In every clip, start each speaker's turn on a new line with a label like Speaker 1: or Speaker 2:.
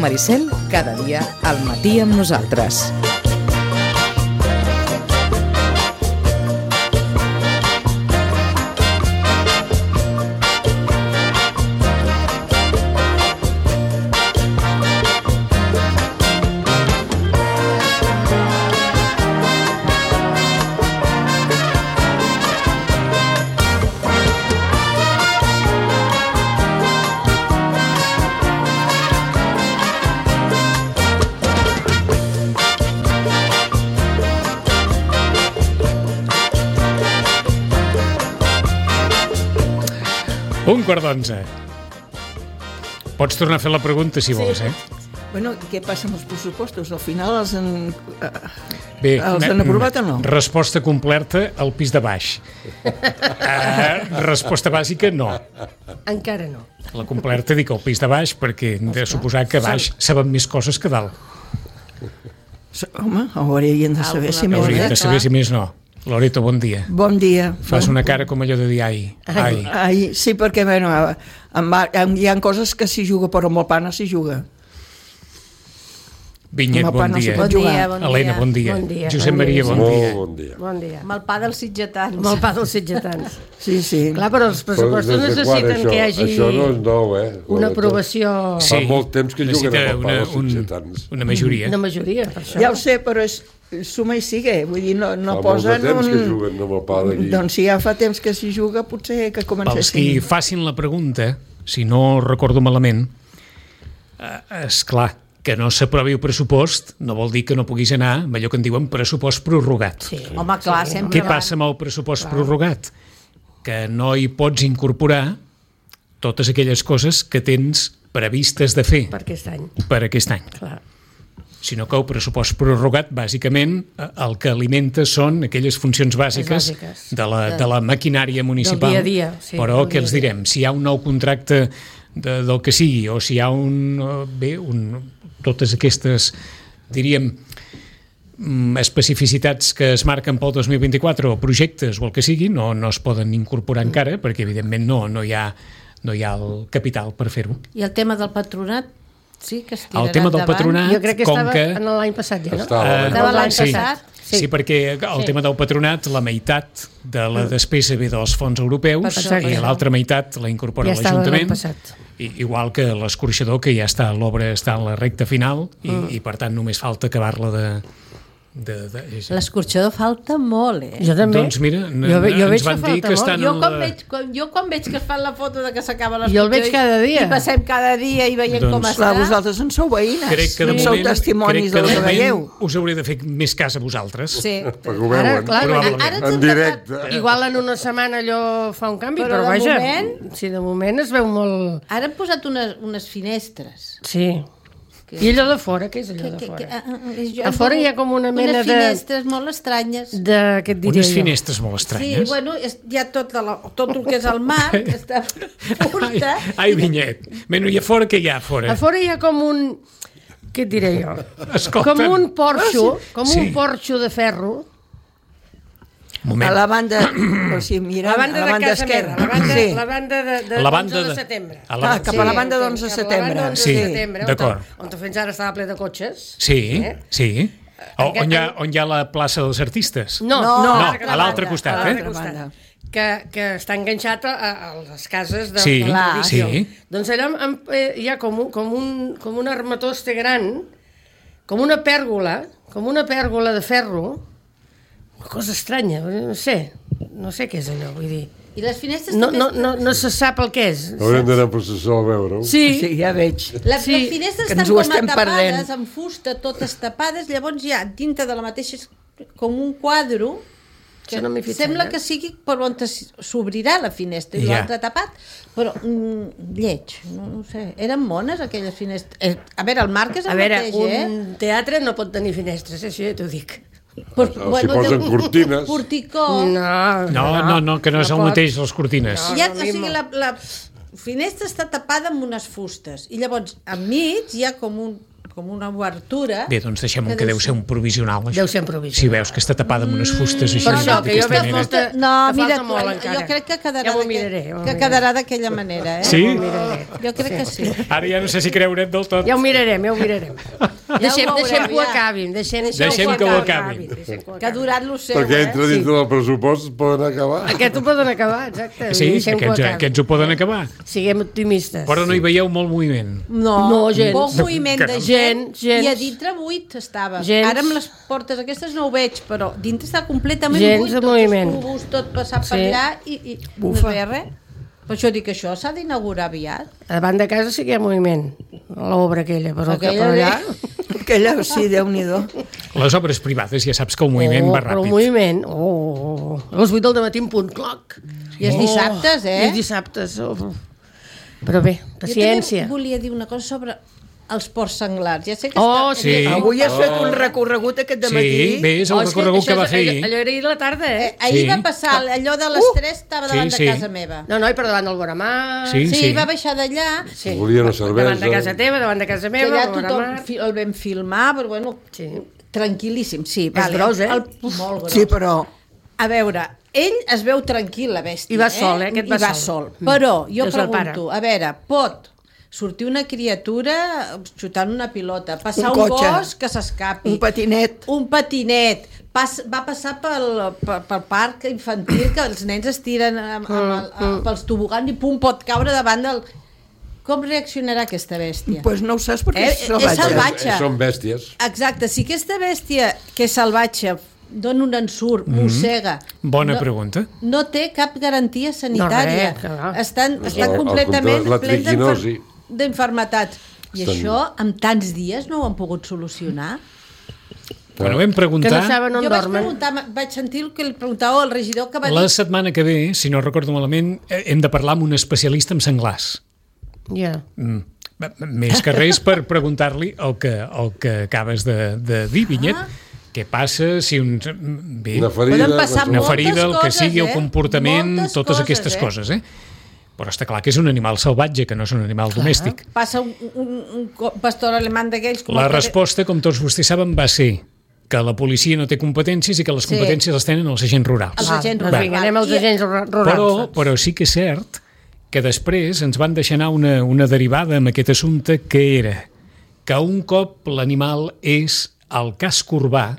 Speaker 1: Maricel, cada dia al matí amb nosaltres.
Speaker 2: Un quart d'11. Pots tornar a fer la pregunta, si vols,
Speaker 3: Bueno, què passa amb els pressupostos? Al final els han
Speaker 2: Bé,
Speaker 3: aprovat o no?
Speaker 2: Resposta completa al pis de baix. Resposta bàsica, no.
Speaker 4: Encara no.
Speaker 2: La completa dic al pis de baix perquè hem de suposar que a baix saben més coses que dalt.
Speaker 3: Home, haurien de saber si més
Speaker 2: Haurien de saber si més no. Loreto, bon dia.
Speaker 3: Bon dia.
Speaker 2: Fas una cara com allò de dir ai.
Speaker 3: Ai, sí, perquè bueno, hi ha coses que s'hi juga, però amb el pa no s'hi juga.
Speaker 2: Vinyet, bon dia.
Speaker 3: Bon dia.
Speaker 2: Helena, bon dia. Josep Maria, bon dia.
Speaker 4: Bon dia.
Speaker 5: Amb el pa dels sitgetans.
Speaker 4: Amb el pa dels sitgetans.
Speaker 3: Sí, sí.
Speaker 4: Clar, però els pressupostos necessiten que hi hagi
Speaker 6: això no és nou,
Speaker 4: una aprovació...
Speaker 6: Fa molt temps que juguen amb el pa dels sitgetans.
Speaker 2: Una majoria.
Speaker 4: Una majoria, per això.
Speaker 3: Ja ho sé, però és suma i sigue. Vull dir, no posen
Speaker 6: Fa molt de temps que juguen amb el pa d'aquí.
Speaker 3: Doncs si ja fa temps que s'hi juga, potser que comencessin.
Speaker 2: Pels qui facin la pregunta, si no recordo malament, és clar, que no s'aprovi el pressupost no vol dir que no puguis anar amb allò que en diuen pressupost prorrogat.
Speaker 4: Sí.
Speaker 5: Home, clar, sempre.
Speaker 2: Què passa amb el pressupost prorrogat? Que no hi pots incorporar totes aquelles coses que tens previstes de fer
Speaker 4: Per aquest any.
Speaker 2: per aquest any.
Speaker 4: Clar.
Speaker 2: Sinó que el pressupost prorrogat, bàsicament, el que alimenta són aquelles funcions bàsiques de la maquinària municipal.
Speaker 4: Del dia a dia, sí.
Speaker 2: Però què els direm? Si hi ha un nou contracte del que sigui, o si hi ha totes aquestes, diríem, especificitats que es marquen pel 2024 o projectes o el que sigui, no es poden incorporar encara, perquè evidentment no hi ha el capital per fer-ho.
Speaker 5: I el tema del patronat? Sí, que es tirarà
Speaker 2: El tema del patronat,
Speaker 4: Jo crec que
Speaker 2: com
Speaker 4: estava
Speaker 2: que...
Speaker 4: en l'any passat ja, no?
Speaker 5: Estava l'any passat.
Speaker 2: Sí, perquè el tema del patronat, la meitat de la despesa ve dels fons europeus i l'altra meitat la incorpora l'Ajuntament, igual que l'escorxador, que ja està, l'obra està en la recta final i per tant només falta acabar-la de...
Speaker 5: L'escorxador falta molt,
Speaker 4: Jo també.
Speaker 2: Doncs mira,
Speaker 4: jo
Speaker 2: ens van dir que estan...
Speaker 5: Jo quan veig que es fan la foto de que s'acaba l'escorxador...
Speaker 4: Jo el veig cada dia.
Speaker 5: I passem cada dia i veiem com està.
Speaker 3: Clar, vosaltres en sou veïnes.
Speaker 2: Crec que de
Speaker 3: sou testimonis del que veieu.
Speaker 2: Us hauré de fer més cas a vosaltres.
Speaker 5: Sí.
Speaker 6: Perquè ho veuen, en directe.
Speaker 4: Igual en una setmana allò fa un canvi, però vaja, si de moment es veu molt...
Speaker 5: Ara han posat unes finestres.
Speaker 4: Sí. I allò de fora, què és allò de fora? A fora hi ha com una mena de...
Speaker 5: Unes finestres molt estranyes.
Speaker 4: Què et diria
Speaker 2: Unes finestres molt
Speaker 5: Sí,
Speaker 2: estranyes.
Speaker 5: bueno, hi ha tot el que és el mar, que està punta.
Speaker 2: Ai, Vinyet. Bueno, i a fora què hi ha a fora?
Speaker 4: A fora hi ha com un... Què et diré jo?
Speaker 2: Escolta.
Speaker 4: Com un porxo de ferro.
Speaker 2: Moment.
Speaker 3: A la banda, o sigui, mira,
Speaker 4: La banda
Speaker 3: a la
Speaker 4: de
Speaker 3: banda
Speaker 4: casa
Speaker 3: esquerra.
Speaker 4: meva, la banda de
Speaker 2: La banda
Speaker 4: 11 de
Speaker 2: de-
Speaker 4: setembre.
Speaker 3: Cap a la banda d'11 de setembre.
Speaker 4: La banda
Speaker 2: Sí,
Speaker 4: d'11 de setembre,
Speaker 2: d'acord.
Speaker 4: on fins ara estava ple de cotxes.
Speaker 2: Sí, sí. On hi ha la plaça dels artistes?
Speaker 4: No,
Speaker 2: a l'altre costat,
Speaker 4: a l'altre costat. Que està enganxat a les cases de
Speaker 2: Sí,
Speaker 4: televisió.
Speaker 2: sí.
Speaker 4: Doncs allà hi ha com un armatoste gran, com una pèrgola de ferro, una cosa estranya, no sé què és allò, vull dir.
Speaker 5: I les finestres
Speaker 4: No se sap el què és.
Speaker 6: Haurem d'anar a processó a veure-ho.
Speaker 3: Sí, ja veig.
Speaker 5: Les finestres
Speaker 3: que
Speaker 5: estan
Speaker 3: ens ho
Speaker 5: com
Speaker 3: estem
Speaker 5: tapades,
Speaker 3: perdent.
Speaker 5: amb fusta, totes tapades, llavors hi ha dintre de la mateixa com un quadre que
Speaker 4: Això no m'hi he fixat,
Speaker 5: sembla que sigui per on s'obrirà la finestra i
Speaker 2: Ja.
Speaker 5: l'altre tapat, però lleig, no sé, eren mones aquelles finestres. A veure, el marc és el mateix,
Speaker 4: un teatre no pot tenir finestres, això ja t'ho dic.
Speaker 5: Però,
Speaker 6: Si posen cortines.
Speaker 5: Porticó.
Speaker 2: No, que no és el mateix les cortines.
Speaker 5: O sigui, la finestra està tapada amb unes fustes i llavors enmig hi ha com un com una obertura...
Speaker 2: Bé, doncs deixem-ho que deu ser un provisional.
Speaker 4: Deu ser un provisional.
Speaker 2: Si veus que està tapada amb unes fustes així...
Speaker 4: Per això, que jo veig molta...
Speaker 5: No, mira,
Speaker 4: molt encara.
Speaker 5: jo crec que quedarà,
Speaker 4: ja miraré,
Speaker 5: que quedarà d'aquella manera,
Speaker 2: Sí?
Speaker 5: Jo crec que sí.
Speaker 2: Ara ja no sé si creure't del tot.
Speaker 4: Ja ho mirarem. Deixem que ho acabin. Deixem
Speaker 2: que ho acabin.
Speaker 5: Que ha durat lo seu,
Speaker 6: Perquè entra dintre del pressupost, poden acabar.
Speaker 4: Aquest ho poden acabar, exacte.
Speaker 2: Sí, aquests ho poden acabar.
Speaker 4: Siguem optimistes.
Speaker 2: Però no hi veieu molt moviment.
Speaker 5: No,
Speaker 4: gens.
Speaker 5: Poc moviment de gent.
Speaker 4: Gens.
Speaker 5: I a dintre buit estava.
Speaker 4: Gens.
Speaker 5: Ara amb les portes aquestes no ho veig, però dintre està completament
Speaker 4: gens
Speaker 5: buit.
Speaker 4: De moviment.
Speaker 5: Tots els tubos, tot passat per allà i no es veia res. Per això dic que això s'ha d'inaugurar aviat.
Speaker 4: Davant de casa sí que hi ha moviment. L'obra aquella, però allà...
Speaker 3: Aquella, sí, Déu-n'hi-do.
Speaker 2: Les obres privades ja saps que el moviment va ràpid.
Speaker 4: Però el moviment... A les 8 del matí en punt cloc.
Speaker 5: I els dissabtes,
Speaker 4: I els dissabtes. Però bé, paciència.
Speaker 5: Jo també volia dir una cosa sobre els porcs senglars. Ja sé que
Speaker 2: sí.
Speaker 3: Avui has fet un recorregut aquest dematí.
Speaker 2: Sí, bé, és el recorregut que va fer ahir.
Speaker 4: Allò era ahir a la tarda,
Speaker 5: Ahir va passar, allò de les 3 estava davant de casa meva.
Speaker 4: No, i per davant del Boramar.
Speaker 5: Sí, va baixar d'allà.
Speaker 6: Volia una cervesa.
Speaker 4: Davant de casa teva, davant de casa meva.
Speaker 5: Que allà tothom el vam filmar, però bueno, tranquil·líssim, sí.
Speaker 4: És gros,
Speaker 5: Molt gros.
Speaker 3: Sí, però...
Speaker 5: A veure, ell es veu tranquil, la bèstia.
Speaker 4: I va sol, aquest va sol.
Speaker 5: Però jo pregunto, a veure, pot sortir una criatura xutant una pilota, passar un bosc que s'escapi.
Speaker 3: Un patinet.
Speaker 5: Un patinet. Va passar pel parc infantil que els nens es tiren pels tobogans i pum, pot caure davant del... Com reaccionarà aquesta bèstia?
Speaker 3: Pues no ho saps perquè és
Speaker 5: salvatge.
Speaker 6: Són bèsties.
Speaker 5: Exacte, si aquesta bèstia que és salvatge dona un ensurt, mossega...
Speaker 2: Bona pregunta.
Speaker 5: No té cap garantia sanitària. Estan completament
Speaker 6: plens
Speaker 5: d'infermetats. I això, amb tants dies, no ho han pogut solucionar?
Speaker 2: Bueno, vam preguntar...
Speaker 4: Que no saben on dormen.
Speaker 5: Vaig sentir el que li preguntava al regidor que va dir...
Speaker 2: La setmana que ve, si no recordo malament, hem de parlar amb un especialista en senglars.
Speaker 4: Ja.
Speaker 2: Més que res per preguntar-li el que acabes de dir, Vinyet. Què passa si
Speaker 6: una ferida,
Speaker 2: el que sigui, el comportment, totes aquestes coses, Però està clar que és un animal salvatge, que no és un animal domèstic.
Speaker 5: Passa un pastor alemany d'aquells...
Speaker 2: La resposta, com tots vostès saben, va ser que la policia no té competències i que les competències les tenen els agents rurals.
Speaker 5: Els agents rurals.
Speaker 4: Anem als agents rurals.
Speaker 2: Però sí que és cert que després ens van deixar anar una derivada amb aquest assumpte, que era que un cop l'animal és al casc urbà,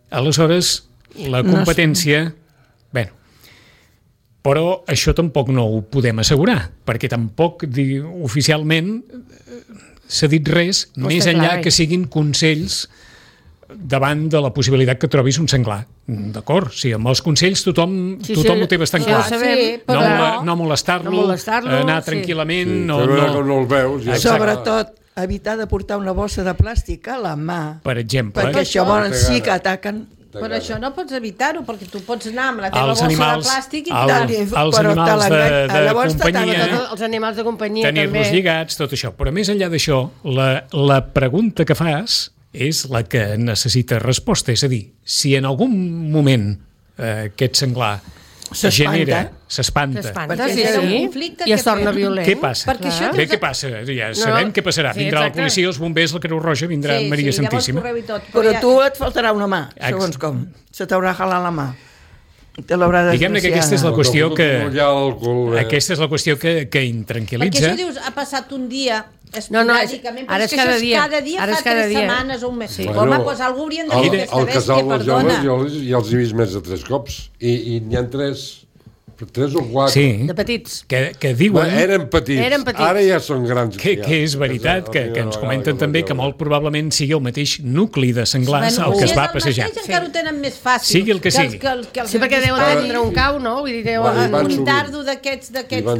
Speaker 2: aleshores la competència... Bueno, però això tampoc no ho podem assegurar, perquè tampoc oficialment s'ha dit res, més enllà que siguin consells davant de la possibilitat que trobis un senglar. D'acord? Sí, amb els consells tothom ho té bastant clar. No molestar-lo, anar tranquil·lament...
Speaker 6: No el veus.
Speaker 3: Sobretot, evitar de portar una bossa de plàstic a la mà.
Speaker 2: Per exemple.
Speaker 3: Perquè això sí que ataquen.
Speaker 5: Però això no pots evitar-ho, perquè tu pots anar amb la teva bossa de plàstic i
Speaker 2: els animals de companyia,
Speaker 4: els animals de companyia
Speaker 2: tenir-los lligats, tot això. Però més enllà d'això, la pregunta que fas és la que necessita resposta. És a dir, si en algun moment aquest senglar s'espanta,
Speaker 4: i es torna violent.
Speaker 2: Què passa? Què passa? Ja sabem què passarà. Vindrà la policia, els bombers, la Creu Roja, vindrà Maria Santíssima.
Speaker 3: Però tu et faltarà una mà, segons com. Se t'haurà jalat la mà.
Speaker 2: Diguem-ne que aquesta és la qüestió aquesta és la qüestió que intranquil·litza.
Speaker 5: Perquè això dius, ha passat un dia esporàdicament, però és que això és cada dia, fa 3 setmanes o un mes. Home, doncs algú haurien de dir aquesta bèstia, perdona.
Speaker 6: Ja els he vist més de 3 cops, i n'hi ha 3 o 4
Speaker 4: de petits
Speaker 2: que diuen...
Speaker 6: Eren petits, ara ja són grans.
Speaker 2: Que és veritat, que ens comenten també que molt probablement sigui el mateix nucli de senglars el que es va passejar.
Speaker 5: Encara ho tenen més fàcil.
Speaker 2: Sigui el que sigui.
Speaker 4: Sí, perquè deu tindre un cau, no?
Speaker 5: Un dardo d'aquests.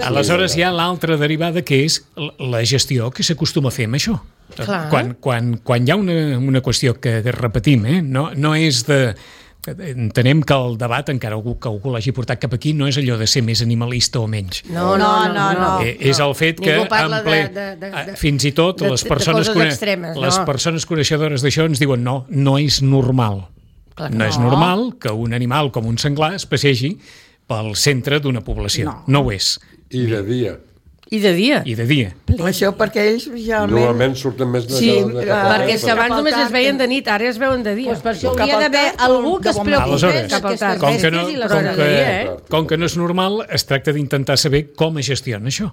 Speaker 2: Aleshores hi ha l'altra derivada, que és la gestió que s'acostuma a fer amb això. Quan hi ha una qüestió que repetim, no és de... Entenem que el debat, encara que algú l'hagi portat cap aquí, no és allò de ser més animalista o menys.
Speaker 5: No.
Speaker 2: És el fet que fins i tot les persones coneixedores d'això ens diuen no és normal. No és normal que un animal com un senglar es passegi pel centre d'una població. No ho és.
Speaker 6: I de dia.
Speaker 4: I de dia.
Speaker 2: I de dia.
Speaker 3: Això perquè ells ja...
Speaker 6: Normalment surten més de
Speaker 4: perquè si abans només es veien de nit, ara es veuen de dia.
Speaker 5: Per això hauria d'haver algú que es preocupés d'aquestes bèsties.
Speaker 2: Com que no és normal, es tracta d'intentar saber com es gestiona això.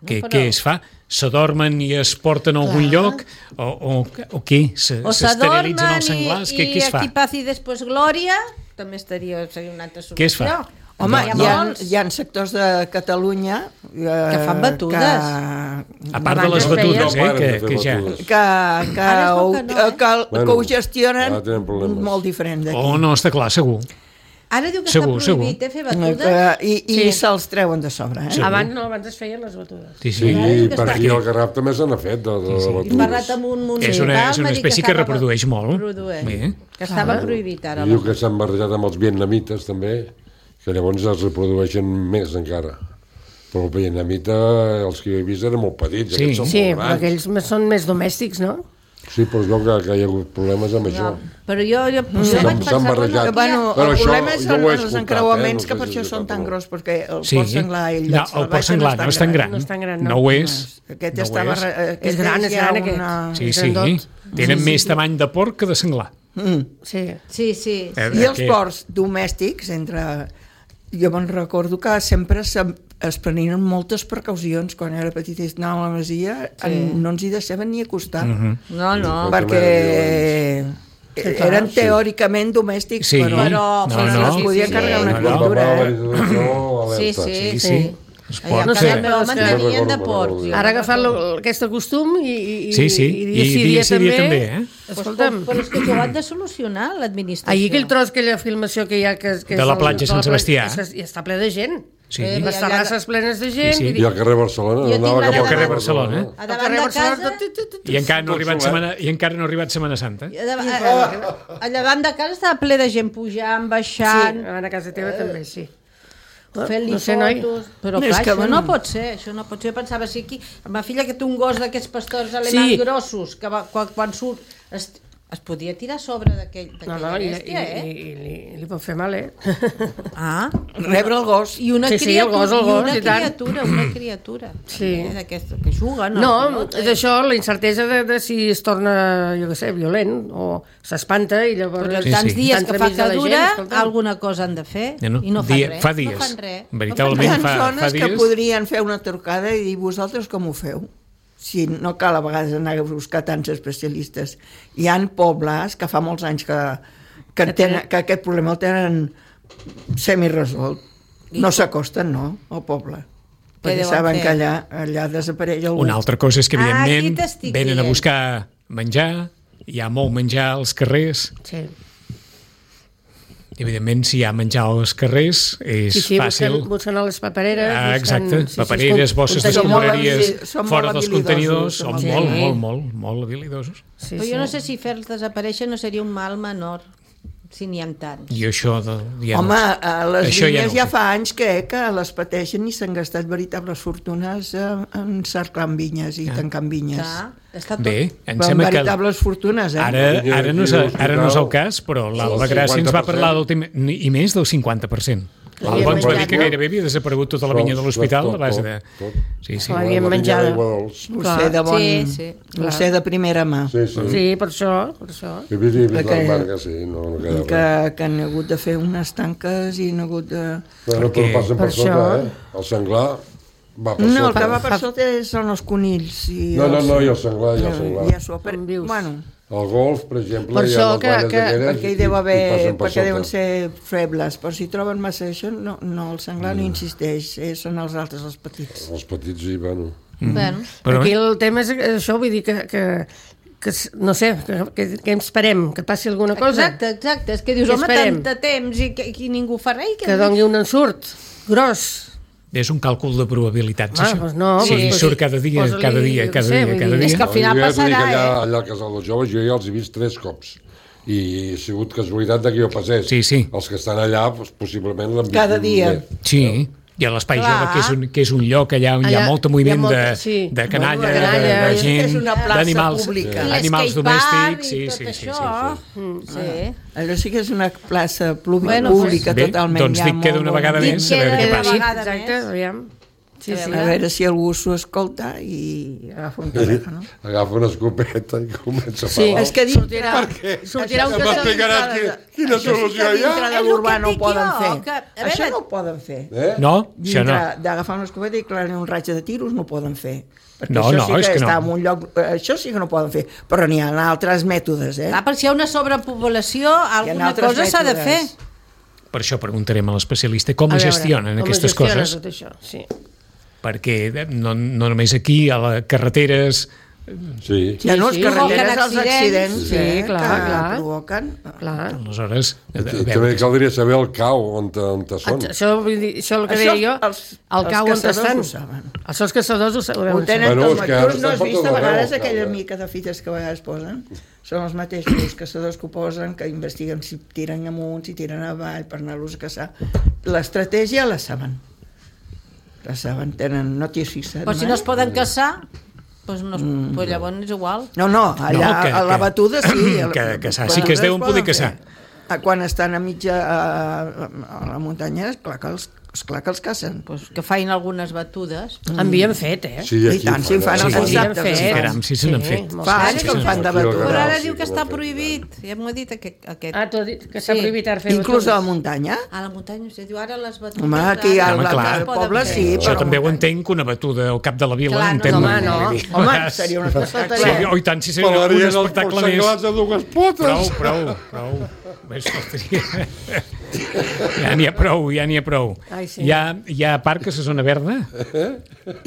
Speaker 2: Què es fa? S'adormen i es porten a algun lloc? O què? S'esterilitzen els senglars? Què es fa?
Speaker 5: I aquí passi després glòria, també seria una altra solució.
Speaker 2: Què es fa?
Speaker 3: Home, hi ha sectors de Catalunya
Speaker 5: que fan batudes.
Speaker 2: A part de les batudes, que ja...
Speaker 3: Que ho gestionen molt diferent d'aquí.
Speaker 2: Oh, no, està clar, segur.
Speaker 5: Ara diu que està prohibit fer batudes.
Speaker 3: I se'ls treuen de sobre.
Speaker 4: Abans no, abans es feien les batudes.
Speaker 6: Sí, per aquí al Garraf també se n'ha fet de batudes.
Speaker 5: He parlat amb un municipal.
Speaker 2: És una espècie que reprodueix molt.
Speaker 5: Que estava prohibit ara.
Speaker 6: Diu que s'han barrejat amb els vietnamites també, que llavors es reprodueixen més encara. Però el vietnamita, els que he vist eren molt petits, aquests són molt grans.
Speaker 4: Aquells són més domèstics, no?
Speaker 6: Sí, però es veu que hi ha hagut problemes amb això.
Speaker 5: Però jo vaig pensar...
Speaker 3: El problema són els encreuaments, que per això són tan gros, perquè el porc senglar
Speaker 2: no, el porc senglar no és tan gran. No ho és.
Speaker 3: Aquest
Speaker 4: és gran aquest.
Speaker 2: Sí. Tenen més tamany de porc que de senglar.
Speaker 5: Sí.
Speaker 3: I els porcs domèstics, jo me'n recordo que sempre es prenien moltes precaucions quan era petit i anàvem a la masia, no ens hi deixaven ni acostar.
Speaker 5: No.
Speaker 3: Perquè eren teòricament domèstics, però es podia carregar una criatura.
Speaker 5: Sí.
Speaker 4: No sé,
Speaker 5: mantenien de porc.
Speaker 4: Ara ha agafat aquest costum i
Speaker 2: dia sí dia també.
Speaker 4: Escolta'm.
Speaker 5: Però és que ho han de solucionar l'administració.
Speaker 4: Ahir aquell tros, aquella filmació que hi ha...
Speaker 2: De la platja Sant Sebastià.
Speaker 4: I està ple de gent. Les terrasses plenes de gent.
Speaker 6: I al carrer Barcelona.
Speaker 2: I al carrer Barcelona.
Speaker 5: A davant de casa...
Speaker 2: I encara no ha arribat Setmana Santa.
Speaker 5: A davant de casa estava ple de gent pujant, baixant...
Speaker 4: Sí, a casa teva també, sí.
Speaker 5: Fent-li fotos, però clar, això no pot ser, Jo pensava, sí, aquí, amb la filla que té un gos d'aquests pastors alemans grossos, que quan surt es podia tirar a sobre d'aquella bèstia,
Speaker 4: i li pot fer mal,
Speaker 3: rebre el gos.
Speaker 5: I una criatura que juga, no?
Speaker 4: No, és això, la incertesa de si es torna, jo què sé, violent, o s'espanta, i llavors...
Speaker 5: Però tants dies que fa que dura, alguna cosa han de fer, i no fan res.
Speaker 2: Fa dies. Veritablement fa dies.
Speaker 3: Hi ha zones que podrien fer una trucada i dir, vosaltres com ho feu? Si no cal a vegades anar a buscar tants especialistes. Hi ha pobles que fa molts anys que aquest problema el tenen semiresolt. No s'acosten, no, al poble. Perquè saben que allà desapareix algú.
Speaker 2: Una altra cosa és que, evidentment, venen a buscar menjar, hi ha molt menjar als carrers.
Speaker 4: Sí.
Speaker 2: Evidentment, si hi ha menjar als carrers, és fàcil...
Speaker 4: Busquen a les papereres...
Speaker 2: Exacte, papereres, bosses d'escombraries fora dels contenidors, són molt habilidosos.
Speaker 5: Però jo no sé si fer-los desaparèixer no seria un mal menor, si n'hi ha tants.
Speaker 2: I això...
Speaker 3: Home, les vinyes ja fa anys que les pateixen i s'han gastat veritables fortunes en cerclant vinyes i tancant vinyes.
Speaker 2: Bé, em sembla que...
Speaker 3: veritables fortunes,
Speaker 2: Ara no és el cas, però l'Alba Gràcia ens va parlar del tema... I més del 50%. L'Alba ens va dir que gairebé havia desaparegut tota la vinya de l'hospital a base de...
Speaker 4: Sí. L'havien menjat.
Speaker 3: Ho sé de primera mà.
Speaker 4: Sí, per això.
Speaker 6: He vist la marca, sí, no quedava.
Speaker 3: Que han hagut de fer unes tanques i han hagut de...
Speaker 6: Però passen per sota, el senglar...
Speaker 3: No, el que va per sota són els conills.
Speaker 6: No, i el senglar.
Speaker 3: Bueno,
Speaker 6: el golf, per exemple,
Speaker 4: per això
Speaker 3: perquè hi deu haver, perquè deuen ser febles, però si troben massa això, no, el senglar no insisteix, són els altres, els petits.
Speaker 6: Els petits, sí, bueno.
Speaker 4: Aquí el tema és això, vull dir que no sé, que esperem, que passi alguna cosa.
Speaker 5: Exacte, és que dius, home, tant de temps i ningú fa res.
Speaker 4: Que doni un ensurt gros.
Speaker 2: És un càlcul de probabilitats, això.
Speaker 4: Doncs no,
Speaker 2: sí, surt cada dia.
Speaker 5: És que al final passarà,
Speaker 6: allà al Casal dels Joves jo ja els he vist 3 cops. I ha sigut casualitat que jo passés.
Speaker 2: Sí.
Speaker 6: Els que estan allà, possiblement l'han vist
Speaker 3: cada dia.
Speaker 2: Sí. I a l'Espai Jove, que és un lloc allà on hi ha molt moviment de canalla, de gent, d'animals domèstics. Sí.
Speaker 3: Allò sí que és una plaça pública totalment.
Speaker 2: Doncs dic que d'una vegada més, a veure què passa.
Speaker 4: Exacte, aviam.
Speaker 3: A veure si algú s'ho escolta i agafa un telèfon.
Speaker 6: Agafa una escopeta i comença a parlar.
Speaker 3: És que dintre...
Speaker 6: Per què?
Speaker 4: Sortirà un
Speaker 6: M'explicaràs quina solució hi ha?
Speaker 3: Dintre de l'urbà no ho poden fer. Això no ho poden fer.
Speaker 2: No, això no.
Speaker 3: D'agafar una escopeta i clavar un raig de tiros no ho poden fer. Perquè
Speaker 2: No,
Speaker 3: això sí
Speaker 2: és
Speaker 3: que
Speaker 2: que
Speaker 3: està
Speaker 2: no.
Speaker 3: en un lloc... Això sí que no poden fer. Però n'hi ha altres mètodes,
Speaker 5: Clar, per si hi ha una sobrepoblació, alguna cosa s'ha de fer.
Speaker 2: Per això preguntarem a l'especialista com es gestionen aquestes coses.
Speaker 4: Tot això, sí.
Speaker 2: Perquè no només aquí, a les carreteres...
Speaker 6: Sí.
Speaker 3: Ja no, els carreteres, els accidents,
Speaker 4: sí, clar,
Speaker 3: que
Speaker 4: clar.
Speaker 3: provoquen.
Speaker 4: Clar.
Speaker 2: Aleshores...
Speaker 6: També caldria saber el cau on són.
Speaker 4: Això el que deia jo, el cau on estan. Els seus caçadors ho
Speaker 3: Ho
Speaker 4: deuen
Speaker 3: tenen
Speaker 6: Bueno,
Speaker 3: com
Speaker 6: és
Speaker 3: a...
Speaker 6: que
Speaker 3: Tu
Speaker 6: ara
Speaker 3: no has
Speaker 6: està
Speaker 3: vist
Speaker 6: per
Speaker 3: a
Speaker 6: tot
Speaker 3: vegades
Speaker 6: arreu,
Speaker 3: aquella
Speaker 6: clar.
Speaker 3: mica de fites que a vegades posen? Són els mateixos caçadors que ho posen, que investiguen si tiren amunt, si tiren avall, per anar-los a caçar. L'estratègia la saben. La saben, tenen notícies.
Speaker 5: Però si no es poden caçar, doncs llavors és igual.
Speaker 3: No, allà a la batuda sí.
Speaker 2: Que sí que es deuen poder caçar.
Speaker 3: Quan estan a mitja a la muntanya, clar que els cacen.
Speaker 5: Pues que fain algunes batudes.
Speaker 4: Havien fet,
Speaker 6: Sí,
Speaker 3: I
Speaker 6: aquí
Speaker 3: tant, si en fan els dissabtes.
Speaker 2: Caram, sí se n'han fet.
Speaker 3: Fa anys que en fan de batuda.
Speaker 5: Però ara
Speaker 6: Sí,
Speaker 5: diu que
Speaker 6: que
Speaker 5: està
Speaker 6: ho han fet.
Speaker 5: prohibit. Ja m'ho ha dit aquest.
Speaker 4: t'ho he dit, que s'ha prohibit ara fer
Speaker 3: Inclús a la
Speaker 4: batudes.
Speaker 3: muntanya.
Speaker 5: A la muntanya, us diu ara les batudes...
Speaker 3: Home, aquí
Speaker 2: Home, clar.
Speaker 3: al poble sí,
Speaker 2: Això
Speaker 3: però...
Speaker 2: també ho entenc, que una batuda al cap de la vila,
Speaker 5: Clar, no,
Speaker 2: entenc.
Speaker 4: home, no.
Speaker 2: Vull dir,
Speaker 3: Home, seria un espectacle.
Speaker 2: Sí, oh, i tant, si seria un
Speaker 6: Pelarien els
Speaker 2: espectacle més.
Speaker 6: porcegalats a dues potes.
Speaker 2: Prou. Més faltaria. Ja n'hi ha prou.
Speaker 4: Ai, sí.
Speaker 2: Hi ha parc a la zona verda?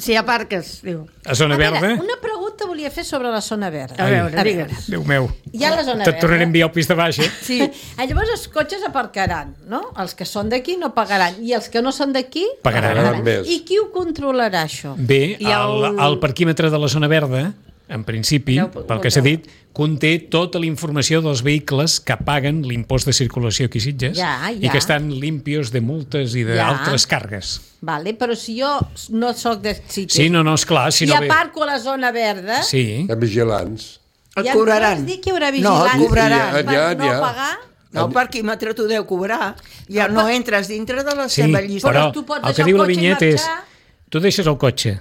Speaker 4: Si hi ha parques, diu.
Speaker 2: A zona verda?
Speaker 5: Una pregunta volia fer sobre la zona verda.
Speaker 4: A veure, digues.
Speaker 2: Déu meu.
Speaker 5: Hi ha la zona
Speaker 2: Te't
Speaker 5: verda.
Speaker 2: tornaré a enviar al pis de baix, eh?
Speaker 5: Sí. Llavors els cotxes aparcaran, no? Els que són d'aquí no pagaran. I els que no són d'aquí
Speaker 2: Pagaran
Speaker 6: més.
Speaker 5: I qui ho controlarà, això?
Speaker 2: Bé,
Speaker 4: Hi ha
Speaker 2: el parquímetre de la zona verda, en principi, pel que s'ha dit, conté tota la informació dels vehicles que paguen l'impost de circulació aquí a Sitges i que estan limpios de multes i d'altres càrregues.
Speaker 5: Vale, però si jo no sóc de Sitges
Speaker 2: Sí, no, esclar. Si
Speaker 5: i
Speaker 2: no
Speaker 5: aparco a la zona verda,
Speaker 2: Sí.
Speaker 6: Hi ha vigilants.
Speaker 3: Et cobraran.
Speaker 5: vols dir que hi haurà
Speaker 3: No,
Speaker 5: vigilants
Speaker 3: et cobraran.
Speaker 5: per
Speaker 6: Ja,
Speaker 5: no
Speaker 6: ja.
Speaker 5: pagar?
Speaker 3: No, el parquímetre t'ho deu cobrar. Ja no entres dintre de la
Speaker 2: Sí,
Speaker 3: seva llista.
Speaker 2: però
Speaker 5: tu pots
Speaker 2: el que
Speaker 5: deixar
Speaker 2: diu
Speaker 5: el
Speaker 2: la
Speaker 5: cotxe i
Speaker 2: vinyeta és
Speaker 5: marxar.
Speaker 2: tu deixes el cotxe.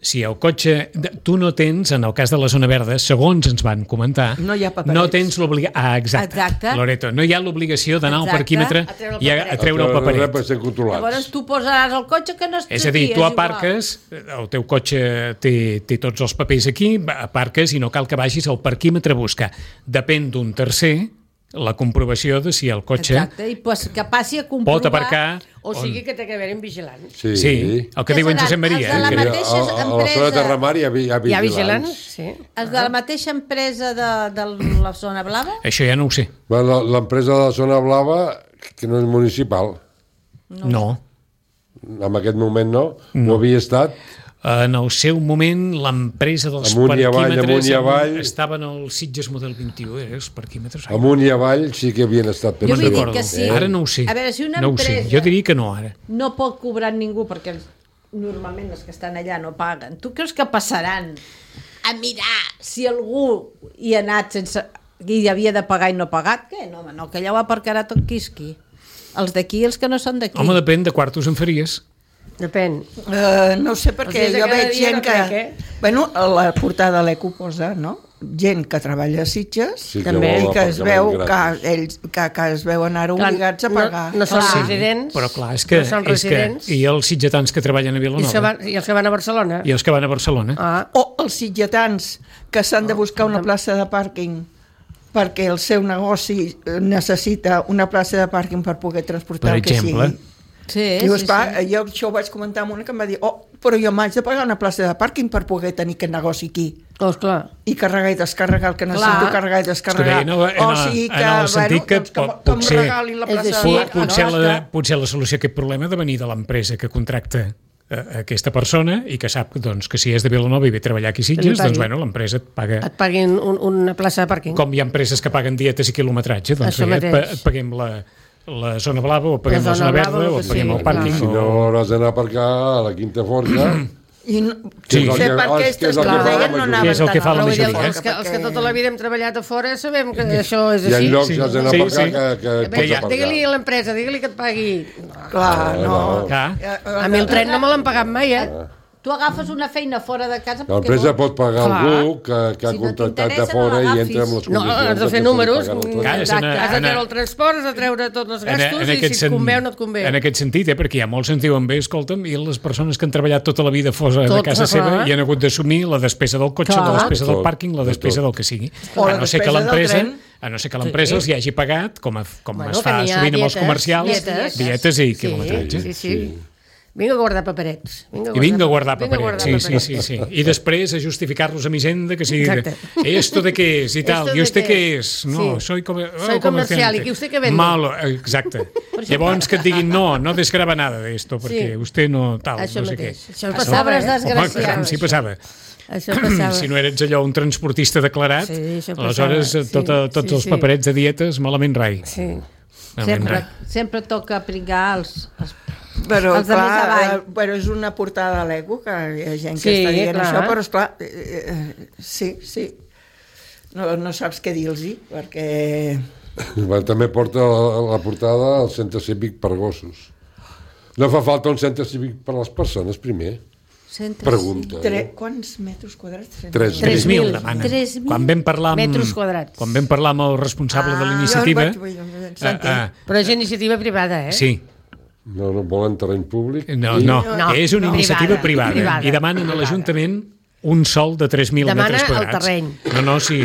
Speaker 2: Si el cotxe... Tu no tens, en el cas de la zona verda, segons ens van comentar,
Speaker 3: No hi ha paperets.
Speaker 2: no tens l'obligació... Exacte, Loreto. No hi ha l'obligació d'anar al
Speaker 5: Exacte.
Speaker 2: parquímetre i a treure el paperet.
Speaker 6: Per ser controlats.
Speaker 5: Llavors tu posaràs el cotxe que no estàs
Speaker 2: És a dir, tu aparques, el teu cotxe té tots els papers aquí, aparques i no cal que vagis al parquímetre a buscar. Depèn d'un tercer la comprovació de si el cotxe
Speaker 5: Exacte, i pues, que passi a comprovar...
Speaker 2: pot aparcar...
Speaker 4: O sigui que té que haver-hi un vigilant.
Speaker 2: Sí, el que diu en Josep Maria.
Speaker 5: Els de la
Speaker 6: Que
Speaker 5: mateixa
Speaker 6: a la zona
Speaker 5: empresa-
Speaker 6: de Terramar hi ha
Speaker 4: Hi ha
Speaker 6: vigilants.
Speaker 4: vigilants? Sí.
Speaker 5: Els de la mateixa empresa de la zona blava?
Speaker 2: Això ja no ho sé.
Speaker 6: L'empresa de la zona blava, que no és municipal,
Speaker 2: No.
Speaker 6: en aquest moment no. Ho havia estat.
Speaker 2: En el seu moment, l'empresa dels
Speaker 6: Amunt i avall,
Speaker 2: parquímetres
Speaker 6: amunt i avall.
Speaker 2: estaven al Sitges Model 21, els parquímetres.
Speaker 6: Amunt i avall sí que havien estat.
Speaker 5: Jo vull dir
Speaker 2: recordo.
Speaker 5: que sí.
Speaker 2: Ara no ho sé.
Speaker 5: A veure, si una
Speaker 2: no ho sé.
Speaker 5: empresa-
Speaker 2: Jo diria que no, ara.
Speaker 5: No pot cobrar ningú perquè normalment els que estan allà no paguen. Tu creus que passaran a mirar si algú hi ha anat sense... i havia de pagar i no ha pagat? Què? No, home, no, que allà ho aparcarà tot quisqui. Els d'aquí i els que no són d'aquí.
Speaker 2: Home, depèn de quartos en faries.
Speaker 4: Depèn.
Speaker 3: No sé per
Speaker 4: Els
Speaker 3: què,
Speaker 4: dies de
Speaker 3: jo
Speaker 4: cada
Speaker 3: veig
Speaker 4: dia
Speaker 3: gent
Speaker 4: no
Speaker 3: que...
Speaker 4: crec, eh?
Speaker 3: Bueno, a la portada de l'Eco posa, no? Gent que treballa a Sitges
Speaker 6: Sí, que
Speaker 4: També.
Speaker 6: vol
Speaker 3: i que es veu que
Speaker 6: aparcament
Speaker 3: ells que es veuen ara obligats a pagar.
Speaker 4: No són
Speaker 5: Clar.
Speaker 4: residents.
Speaker 2: Però clar, és que...
Speaker 4: No són residents.
Speaker 2: I els sitgetans que treballen a
Speaker 4: I
Speaker 2: Vilanova.
Speaker 4: els que van a Barcelona.
Speaker 2: I els que van a Barcelona.
Speaker 4: Ah,
Speaker 3: O els sitgetans que s'han de buscar una plaça de pàrquing perquè el seu negoci necessita una plaça de pàrquing per poder transportar
Speaker 2: Per
Speaker 3: el que
Speaker 2: exemple.
Speaker 3: sigui.
Speaker 5: Sí,
Speaker 3: Diu,
Speaker 5: sí,
Speaker 3: esclar,
Speaker 5: sí.
Speaker 3: jo això ho vaig comentar amb una que em va dir però jo m'haig de pagar una plaça de pàrquing per poder tenir aquest negoci aquí
Speaker 4: doncs clar.
Speaker 3: i carregar i descarregar el que necessito carregar i descarregar.
Speaker 2: És que bé, en el sentit que
Speaker 3: que em
Speaker 2: potser-
Speaker 3: regalin la plaça
Speaker 4: És
Speaker 3: de
Speaker 4: així,
Speaker 3: pàrquing.
Speaker 2: Potser la solució a aquest problema ha de venir de l'empresa que contracta aquesta persona i que sap doncs, que si és de Vilanova i ve a treballar aquí a Sitges, doncs bueno, l'empresa et paga...
Speaker 4: Et paguin una plaça de pàrquing.
Speaker 2: Com hi ha empreses que paguen dietes i quilometratge, doncs
Speaker 4: Això mateix.
Speaker 2: et paguem la zona blava o paguem la zona
Speaker 4: zona blava,
Speaker 2: verda o
Speaker 4: el
Speaker 2: et
Speaker 4: que
Speaker 2: paguem
Speaker 4: sigui,
Speaker 2: el pàrquing.
Speaker 6: Si no hauràs d'anar a aparcar a la Quinta Forca
Speaker 3: I no sé per què aquestes que ho deien no anaven
Speaker 2: tan a la majoria.
Speaker 4: Els que tota la vida hem treballat a fora sabem que això és així.
Speaker 6: Hi ha llocs que has d'anar a pagar que pots aparcar.
Speaker 4: Digue-li a l'empresa, digue-li que et pagui.
Speaker 3: Clar, no.
Speaker 4: A mi el tren no me l'han pagat mai,
Speaker 5: Tu agafes una feina fora de casa...
Speaker 6: L'empresa pot pagar algú que ha contractat de fora i entra amb les condicions...
Speaker 4: No, has de fer números, has de treure el transport, has de treure tots els gastos i si et convé o no et convé.
Speaker 2: En aquest sentit, perquè hi ha molts que ens diuen bé, escolta'm, i les persones que han treballat tota la vida fora de casa seva i han hagut d'assumir la despesa del cotxe, la despesa del pàrquing, la despesa del que sigui. A no ser que l'empresa els hi hagi pagat, com es fa sovint amb els comercials, dietes i quilometratge.
Speaker 4: Sí. Vinga a guardar paperets.
Speaker 2: Vinga a guardar paperets, sí. I després a justificar-los a mi Hisenda, que sigui esto de què és i tal, i usted què és? No, soy
Speaker 4: comercial, i usted què vende?
Speaker 2: Malo, exacte. Llavors que et diguin, no desgrava nada de esto, perquè usted no tal, no sé què.
Speaker 4: Això passava,
Speaker 2: Home, sí passava. Si no eres allò un transportista declarat, aleshores tots els paperets de dietes malament rai.
Speaker 5: Sempre toca pringar els
Speaker 3: però clar, és una portada a l'ego que hi ha gent que està dient això, però esclar, sí, no saps què dir-los, perquè...
Speaker 6: També porta la portada al centre cívic per gossos. No fa falta un centre cívic per a les persones, primer. Pregunta.
Speaker 3: Quants metres quadrats?
Speaker 2: 3.000 demana. Quan vam parlar amb el responsable de l'iniciativa...
Speaker 4: Però és iniciativa privada,
Speaker 2: Sí.
Speaker 6: No volen terreny públic?
Speaker 2: No, és una iniciativa privada. I demanen a l'Ajuntament un sòl de 3.000 metres quadrats.
Speaker 4: Demana el terreny.
Speaker 2: No, sí.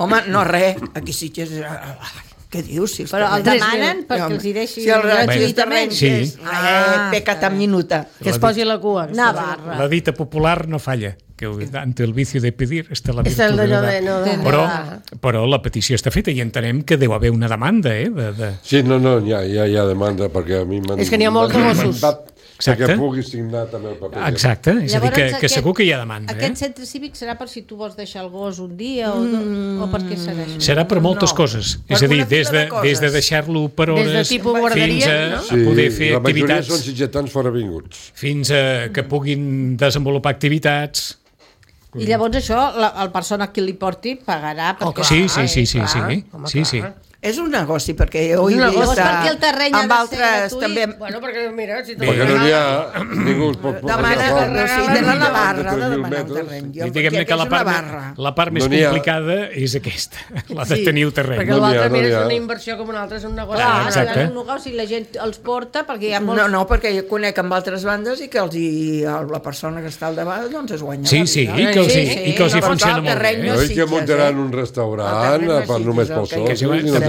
Speaker 3: Home, no res, aquí sí que és... Què dius?
Speaker 5: Però el demanen perquè els hi deixi...
Speaker 3: Si el gratuïtament és pecata minuta.
Speaker 4: Que es posi la cua.
Speaker 5: Navarra.
Speaker 2: La dita popular no falla, que ante el vicio de pedir està la virtud de dar. Però la petició està feta i entenem que deu haver una demanda,
Speaker 6: Sí, no, hi ha demanda, perquè a mi m'han...
Speaker 4: És que n'hi ha molts de gossos.
Speaker 6: Que pugui signar també el paper.
Speaker 2: Exacte, és a dir, que segur que hi ha demanda.
Speaker 5: Aquest centre cívic serà per si tu vols deixar el gos un dia o per què serà això?
Speaker 2: Serà per moltes coses, és a dir, des de deixar-lo per hores fins a poder fer activitats.
Speaker 6: La majoria són sitgetans foravinguts.
Speaker 2: Fins a que puguin desenvolupar activitats.
Speaker 5: I llavors això, la persona a qui li porti pagarà.
Speaker 2: Sí.
Speaker 3: És un negoci, perquè ho he vist
Speaker 5: perquè el terreny
Speaker 3: amb altres també...
Speaker 4: Bueno, perquè mira...
Speaker 6: Perquè no n'hi ha... Ningú es pot
Speaker 3: demana de la Navarra de demanar un terreny.
Speaker 2: Diguem-ne que la part més complicada és aquesta, la de tenir el terreny.
Speaker 4: Perquè l'altre, mira, és una inversió com una altra, és un negoci.
Speaker 5: És un negoci, la gent els porta, perquè hi ha molts...
Speaker 3: No, perquè jo conec amb altres bandes i que la persona que està al davant doncs es guanya.
Speaker 2: Sí, i que els hi funciona molt bé.
Speaker 6: No és que muntaran un restaurant només pels sols,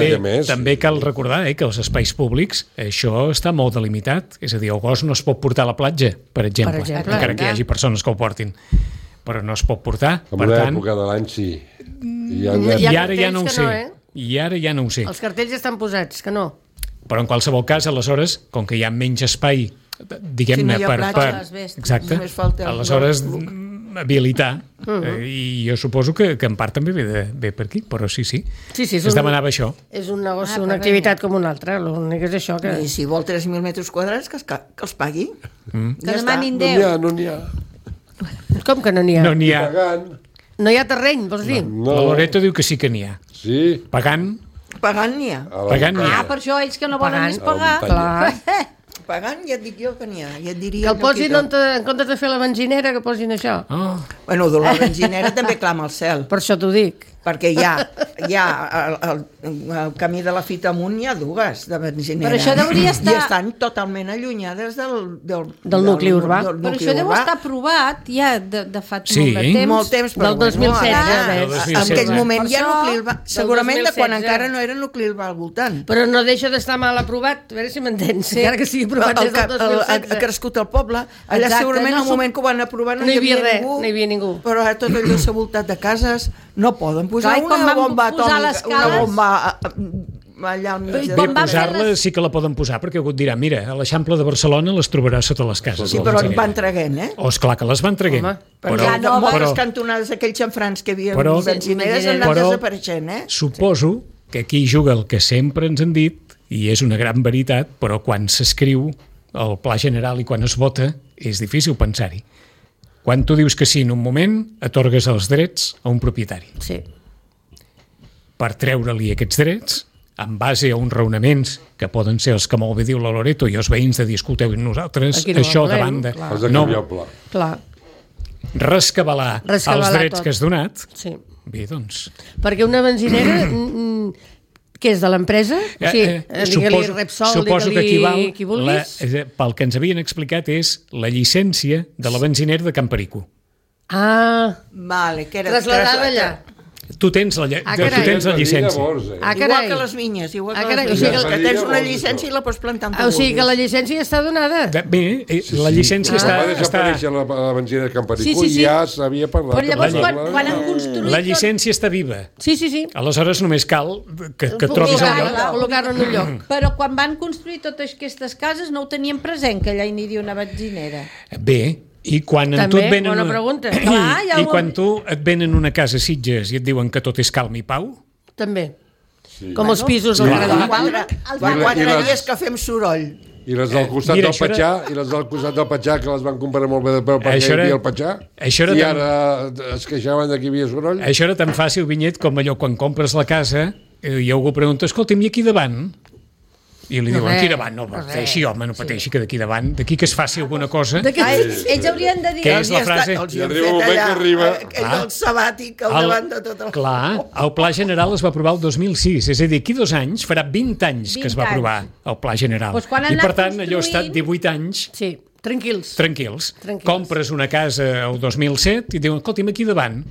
Speaker 2: també cal recordar que els espais públics això està molt delimitat, és a dir, el gos no es pot portar a la platja, per exemple, encara que hi hagi persones que el portin, però no es pot portar.
Speaker 6: En una època de l'any sí.
Speaker 2: I ara ja no ho sé.
Speaker 4: Els cartells estan posats, que no.
Speaker 2: Però en qualsevol cas, aleshores, com que hi ha menys espai, diguem-ne, exacte, aleshores habilitar, i jo suposo que en part també ve per aquí, però sí, es demanava això.
Speaker 4: És un negoci, una activitat com una altra, l'únic és això que...
Speaker 3: I si vol 3.000 metres quadrats, que els pagui.
Speaker 5: Que demanin 10.
Speaker 6: No n'hi ha.
Speaker 4: Com que no n'hi ha?
Speaker 2: No n'hi ha.
Speaker 4: No hi ha terreny, vols dir?
Speaker 2: La Loreto diu que sí que n'hi ha.
Speaker 6: Sí.
Speaker 2: Pagant
Speaker 3: n'hi ha.
Speaker 5: Per això ells que no volen més pagar.
Speaker 4: Clar.
Speaker 3: Pagant ja et dic jo que n'hi ha. Ja et diria
Speaker 4: que el posin en comptes de fer la benzinera, que posin això.
Speaker 3: Bueno, la benzinera també clama al cel.
Speaker 4: Per això t'ho dic.
Speaker 3: Perquè hi ha el camí de la Fita amunt, hi ha dues de benzinera.
Speaker 5: Però això hauria estar...
Speaker 3: I estan totalment allunyades
Speaker 4: del nucli urbà.
Speaker 5: Però això deu estar aprovat ja de fa
Speaker 3: molt temps.
Speaker 4: Del 2016.
Speaker 3: En aquell moment hi ha nucli urbà. Segurament de quan encara no era nucli urbà al voltant.
Speaker 4: Però no deixa d'estar mal aprovat, a veure si m'entens. Encara que sigui aprovat des del 2016.
Speaker 3: Ha crescut el poble. Allà segurament al moment que ho van aprovar no hi havia ningú. Però ara tot allò s'ha voltat de cases, no poden posar una bomba atòmica, una bomba allà al mig.
Speaker 2: Bé, posar-la sí que la poden posar, perquè algú et dirà, mira, a l'Eixample de Barcelona les trobaràs sota les cases.
Speaker 3: Sí, però en van traguent,
Speaker 2: esclar que les van traguent.
Speaker 3: Però moltes cantonades, aquells xanfrans que hi havia benzineres han anat desapareixent,
Speaker 2: Suposo que aquí juga el que sempre ens han dit, i és una gran veritat, però quan s'escriu el Pla General i quan es vota és difícil pensar-hi. Quan tu dius que sí en un moment, atorgues els drets a un propietari.
Speaker 4: Sí.
Speaker 2: Per treure-li aquests drets, en base a uns raonaments que poden ser els que molt bé diu la Loreto i els veïns de dir, escolteu, nosaltres això davant de...
Speaker 6: No,
Speaker 4: clar.
Speaker 2: Rescabalar els drets que has donat.
Speaker 4: Sí.
Speaker 2: Bé, doncs...
Speaker 4: Perquè una benzinera... Què és, de l'empresa?
Speaker 2: Suposo que equival, pel que ens havien explicat, és la llicència de la benzinera de Camperico.
Speaker 3: Vale, que era
Speaker 4: trasladada allà.
Speaker 2: Tu tens la llicència.
Speaker 3: Igual que les vinyes. Que tens una llicència i la pots plantar on tu vulguis.
Speaker 4: O sigui que la llicència està donada.
Speaker 2: Bé, la llicència està...
Speaker 6: Va desaparèixer la benzinera de Camperico i ja s'havia parlat.
Speaker 5: Però llavors, quan han construït...
Speaker 2: La llicència està viva.
Speaker 4: Sí.
Speaker 2: Aleshores només cal que trobis el lloc.
Speaker 4: Col·locar-ho en un lloc.
Speaker 5: Però quan van construir totes aquestes cases no ho tenien present, que allà hi aniria una benzinera.
Speaker 2: Bé, i quan tu et venen
Speaker 4: bona pregunta.
Speaker 2: I quan tu et venen una casa a Sitges i et diuen que tot és calm i pau,
Speaker 4: també. Com els pisos del Carallà.
Speaker 3: 4 dies que fem soroll.
Speaker 6: I les del costat del Patxà, que les van comprar molt bé de peu perquè hi havia el Patxà, i ara es queixaven que hi havia soroll.
Speaker 2: Això era tan fàcil, Vinyet, com allò quan compres la casa i algú pregunta, escolta'm, i aquí davant? I li diuen, aquí davant, no pateixi, home, no pateixi, que d'aquí davant, d'aquí que es faci alguna cosa...
Speaker 5: Ells haurien de dir...
Speaker 2: Què és la frase?
Speaker 6: I arriba un moment que arriba...
Speaker 3: El sabàtic al davant de tot el...
Speaker 2: Clar, el Pla General es va aprovar el 2006, és a dir, aquí 2 anys, farà 20 anys que es va aprovar el Pla General. I per tant, allò ha estat 18 anys...
Speaker 4: Sí. Tranquils.
Speaker 2: Compres una casa el 2007 i diuen, escolta'm, aquí davant.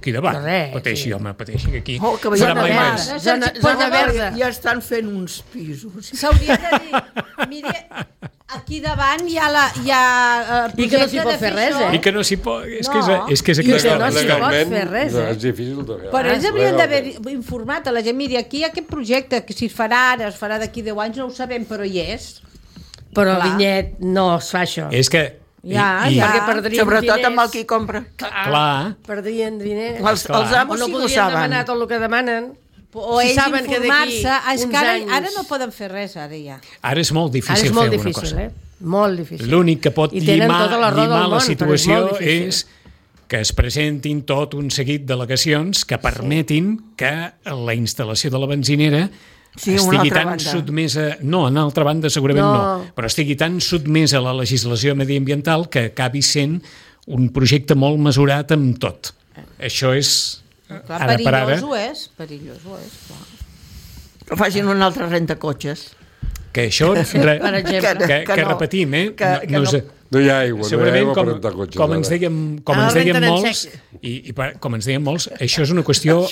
Speaker 2: Pateixi, home, pateixi, que aquí farà mai més.
Speaker 4: Zona verda.
Speaker 3: Ja estan fent uns pisos.
Speaker 5: S'hauria de dir, mire, aquí davant hi ha
Speaker 4: i que no s'hi pot fer res,
Speaker 2: I que no s'hi pot... És que és
Speaker 4: aquesta... I que no s'hi pot fer res,
Speaker 6: És difícil de fer.
Speaker 5: Però ells haurien d'haver informat a la gent, mire, aquí hi ha aquest projecte, que si es farà ara, es farà d'aquí 10 anys, no ho sabem, però hi és.
Speaker 4: Però Vinyet no es fa això.
Speaker 2: És que...
Speaker 4: Perquè perdrien
Speaker 3: sobretot
Speaker 4: diners.
Speaker 3: amb el qui compra.
Speaker 2: Clar.
Speaker 4: Perdrien diners.
Speaker 3: Els amos sí que ho saben.
Speaker 4: Podien demanar tot el que demanen.
Speaker 5: O ells informar-se. És que ara no poden fer res, ara ja.
Speaker 2: Ara és molt difícil fer alguna cosa.
Speaker 4: Molt difícil.
Speaker 2: L'únic que pot llimar la situació és que es presentin tot un seguit d'al·legacions que permetin que la instal·lació de la benzinera estigui tan sotmesa... No, en altra banda segurament no, però estigui tan sotmesa a la legislació mediambiental que acabi sent un projecte molt mesurat amb tot. Això és...
Speaker 5: Perillós ho és, clar.
Speaker 3: Però facin una altra renta-cotxes.
Speaker 2: Que això, que repetim,
Speaker 6: no hi ha aigua,
Speaker 2: segurament, com ens deien molts, això és una qüestió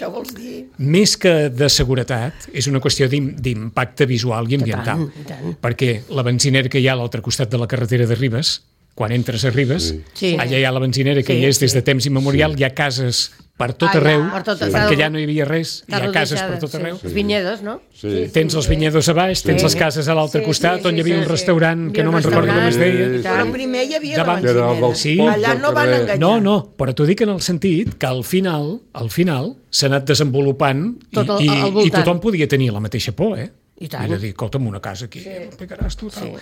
Speaker 2: més que de seguretat, és una qüestió d'impacte visual i ambiental, perquè la benzinera que hi ha a l'altre costat de la carretera de Ribes, quan entres a Ribes, allà hi ha la benzinera que hi és des de temps immemorial, hi ha cases per tot arreu, perquè allà no hi havia res, hi ha cases per tot arreu.
Speaker 4: Els vinyedos, no?
Speaker 2: Tens els vinyedos a baix, tens les cases a l'altre costat, on hi havia un restaurant que no me'n recordo com es deia.
Speaker 3: Però primer hi havia la benzinera. Allà no van enganyar.
Speaker 2: No, però t'ho dic en el sentit que al final s'ha anat desenvolupant i tothom podia tenir la mateixa por, I de dir, escolta'm, una casa aquí, picaràs tu, tal.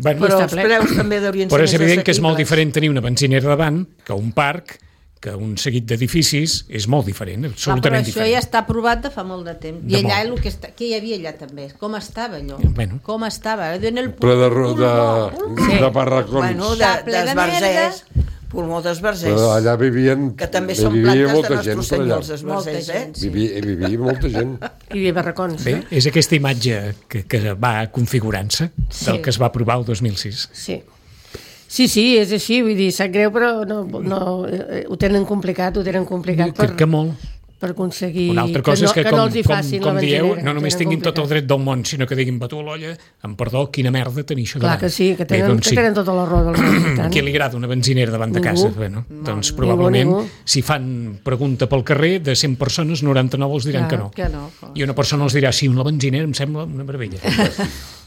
Speaker 3: Però els preus també deurien ser més assequibles.
Speaker 2: Però és evident que és molt diferent tenir una benzinera davant que un parc, que un seguit d'edificis és molt diferent, absolutament diferent.
Speaker 5: Però això ja està aprovat de fa molt de temps. I allà què hi havia allà també? Com estava allò? Com estava?
Speaker 6: Ple de barracons.
Speaker 3: Bueno, d'esbarzers. Pulmó d'esbarzers.
Speaker 6: Allà vivien...
Speaker 3: Que també són plantes de nostres senyors esbarzers,
Speaker 6: Vivia molta gent.
Speaker 4: I barracons.
Speaker 2: Bé, és aquesta imatge que va configurant-se del que es va aprovar el 2006.
Speaker 4: Sí, és així, vull dir, sap greu, però ho tenen complicat
Speaker 2: que molt.
Speaker 4: Per aconseguir
Speaker 2: una altra cosa és que,
Speaker 4: no els hi facin
Speaker 2: com dieu, no només tinguin tot el dret del món, sinó que diguin, batu a l'olla, amb perdó, quina merda tenir això davant.
Speaker 4: Clar que sí, que tenen tota la raó del món.
Speaker 2: A qui li agrada una benzinera davant de casa? Doncs probablement, si fan pregunta pel carrer, de 100 persones, 99 els diran que no. I una persona els dirà, sí, una benzinera em sembla una meravella.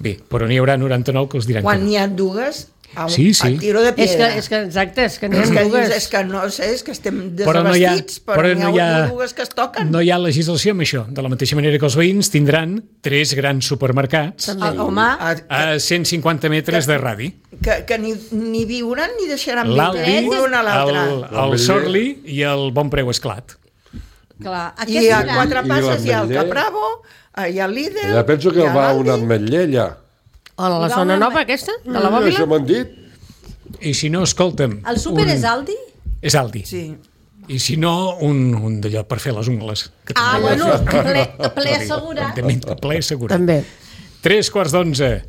Speaker 2: Bé, però n'hi haurà 99 que els diran que no.
Speaker 3: Quan n'hi ha dues...
Speaker 2: Sí.
Speaker 3: A tiro de piedra.
Speaker 4: És que exacte, és que n'hi ha dues.
Speaker 3: És que no sé, és que estem desabastits, però n'hi ha dues que es toquen.
Speaker 2: No hi ha legislació amb això. De la mateixa manera que els veïns tindran 3 grans supermercats a 150 metres de radi.
Speaker 3: que ni viuran ni deixaran
Speaker 2: l'Aldi,
Speaker 3: una a l'altra.
Speaker 2: el Sorli i el Bon Preu Esclat.
Speaker 5: Clar,
Speaker 3: I a Quatre Passes hi ha el Capravo, hi ha el Líder...
Speaker 6: Ja penso que va un ametller allà.
Speaker 4: O la zona nova aquesta, de la Bòbila?
Speaker 6: Això m'han dit.
Speaker 2: I si no, escolta'm...
Speaker 5: El súper és Aldi?
Speaker 2: És Aldi.
Speaker 3: Sí.
Speaker 2: I si no, un d'allò per fer les ungles.
Speaker 5: Bueno, ple assegurat.
Speaker 2: Ple assegurat.
Speaker 4: També.
Speaker 2: 11:03.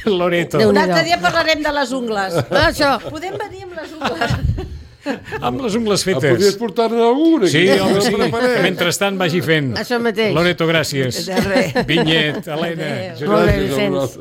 Speaker 2: Loreto.
Speaker 5: Un altre dia parlarem de les ungles.
Speaker 4: Això.
Speaker 5: Podem venir amb les ungles.
Speaker 2: Amb les ungles fetes.
Speaker 6: Podies portar-ne alguna?
Speaker 2: Sí, home, sí. Mentrestant vagi fent.
Speaker 4: Això mateix.
Speaker 2: Loreto, gràcies.
Speaker 3: De res.
Speaker 2: Vinyet, Helena.
Speaker 4: Molt bé, Vicenç.